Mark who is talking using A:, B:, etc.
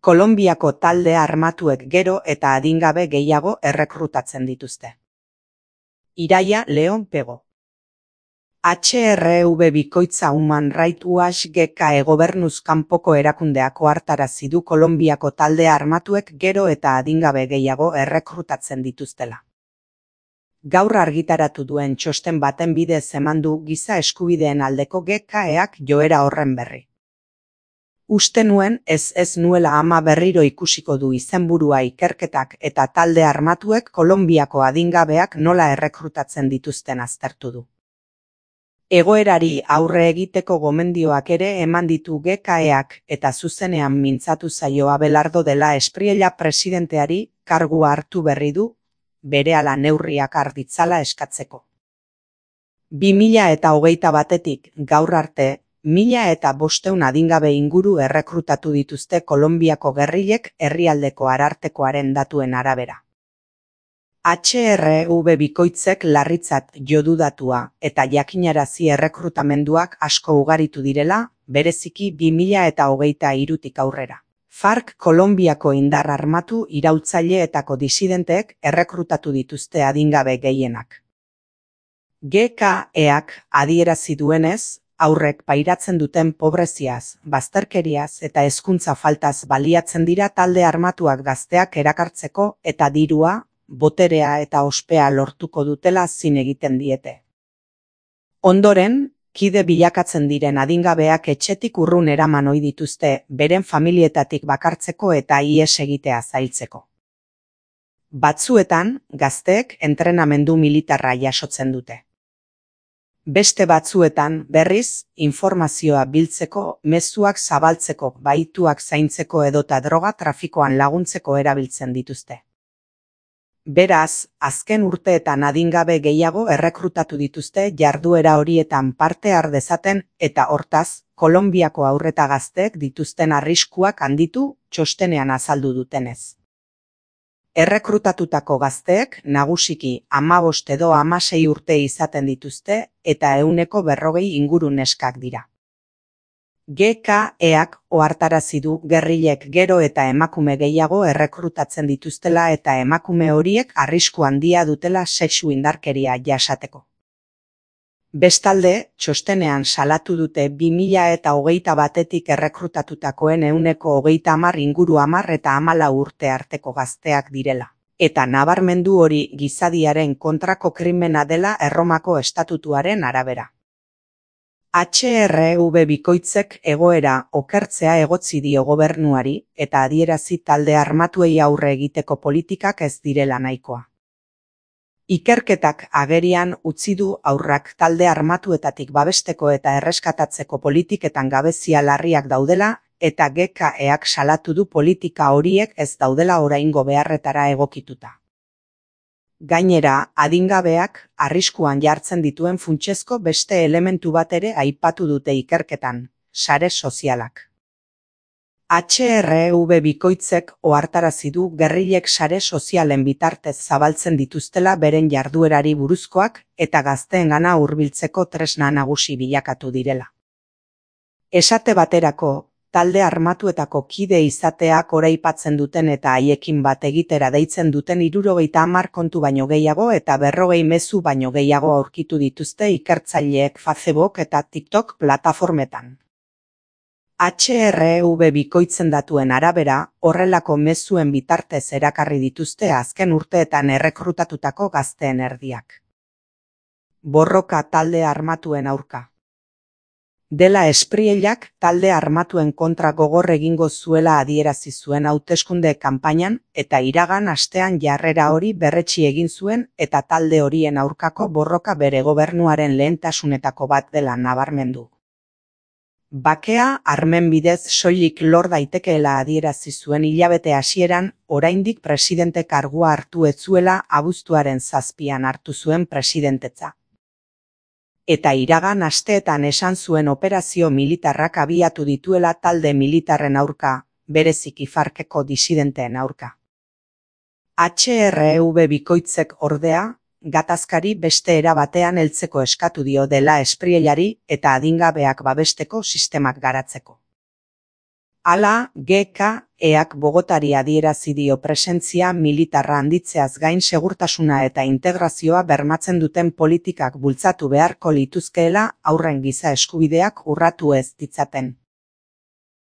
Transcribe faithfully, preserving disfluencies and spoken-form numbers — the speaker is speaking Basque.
A: Kolonbiako talde armatuek gero eta adingabe gehiago errekrutatzen dituzte. Iraia Leon Pego. H R V bikoitza Human Rights Watch G K E gobernuz kanpoko erakundeak ohartarazi du Kolonbiako talde armatuek gero eta adingabe gehiago errekrutatzen dituztela. Gaur argitaratu duen txosten baten bidez eman du giza eskubideen aldeko G K Eak joera horren berri. Uste nuen ez ez nuela ama berriro ikusiko du izenburua ikerketak eta talde armatuek Kolonbiako adingabeak nola errekrutatzen dituzten aztertu du. Egoerari aurre egiteko gomendioak ere eman ditu G K Eak eta zuzenean mintzatu zaio Abelardo dela Espriella presidenteari kargua hartu berri du, berehala neurriak har ditzala eskatzeko. bi mila hogeita batetik gaur arte, mila eta bosteun adingabe inguru errekrutatu dituzte Kolonbiako gerrilek herrialdeko arartekoaren datuen arabera. H R V bikoitzek larritzat jo du datua eta jakinarazi errekrutamenduak asko ugaritu direla, bereziki bi mila hogeita hirutik aurrera. FARC Kolonbiako indar armatu iraultzaileetako disidenteek errekrutatu dituzte adingabe gehienak. G K Eak adierazi duenez, aurrek pairatzen duten pobreziaz, bazterkeriaz eta hezkuntza faltaz baliatzen dira talde armatuak gazteak erakartzeko eta dirua, boterea eta ospea lortuko dutela zin egiten diete. Ondoren, kide bilakatzen diren adingabeak etxetik urrun eraman ohi dituzte beren familietatik bakartzeko eta ihes egitea zailtzeko. Batzuetan, gazteek entrenamendu militarra jasotzen dute. Beste batzuetan, berriz, informazioa biltzeko, mezuak zabaltzeko, bahituak zaintzeko edota droga trafikoan laguntzeko erabiltzen dituzte. Beraz, azken urteetan adingabe gehiago errekrutatu dituzte jarduera horietan parte har dezaten eta hortaz, Kolonbiako haurreta gazteek dituzten arriskuak handitu txostenean azaldu dutenez. Errekrutatutako gazteek nagusiki hamabost edo hamasei urte izaten dituzte eta ehuneko berrogei inguru neskak dira. G K Eak ohartarazi du gerrilek gero eta emakume gehiago errekrutatzen dituztela eta emakume horiek arrisku handia dutela sexu indarkeria jasateko. Bestalde, txostenean salatu dute bi mila hogeita batetik errekrutatutakoen ehuneko hogeita hamar inguru hamar eta hamalau urte arteko gazteak direla. Eta nabarmendu hori gizadiaren kontrako krimena dela Erromako estatutuaren arabera. H R V bikoitzek egoera okertzea egotzi dio gobernuari eta adierazi talde armatuei aurre egiteko politikak ez direla nahikoa. Ikerketak agerian utzi du haurrak talde armatuetatik babesteko eta erreskatatzeko politiketan gabezia larriak daudela eta G K Eak salatu du politika horiek ez daudela oraingo beharretara egokituta. Gainera, adingabeak arriskuan jartzen dituen funtsezko beste elementu bat ere aipatu dute ikerketan, sare sozialak. H R V bikoitzek ohartarazi du gerrilek sare sozialen bitartez zabaltzen dituztela beren jarduerari buruzkoak eta gazteengana hurbiltzeko tresna nagusi bilakatu direla. Esate baterako, talde armatuetako kide izateak oraipatzen duten eta haiekin bat egitera deitzen duten hirurogeita hamar kontu baino gehiago eta berrogei mezu baino gehiago aurkitu dituzte ikertzaileek Facebook eta TikTok plataformetan. H R V bikoitzen datuen arabera, horrelako mezuen bitartez erakarri dituzte azken urteetan errekrutatutako gazteen erdiak. Borroka talde armatuen aurka. Dela Espriellak talde armatuen kontra gogor egingo zuela adierazi zuen hauteskunde kanpainan eta iragan astean jarrera hori berretsi egin zuen eta talde horien aurkako borroka bere gobernuaren lehentasunetako bat dela nabarmendu. Bakea armen bidez soilik lor daitekeela adierazi zuen hilabete hasieran, oraindik presidente kargua hartu ez zuela abuztuaren zazpian hartu zuen presidentetza. Eta iragan asteetan esan zuen operazio militarrak abiatu dituela talde militarren aurka, bereziki FARCeko disidenteen aurka. H R V bikoitzek ordea, gatazkari beste era batean heltzeko eskatu dio dela Espriellari eta adingabeak babesteko sistemak garatzeko. Hala, G K eak Bogotari adierazi dio presentzia militarra handitzeaz gain segurtasuna eta integrazioa bermatzen duten politikak bultzatu beharko lituzkeela haurren giza eskubideak urratu ez ditzaten.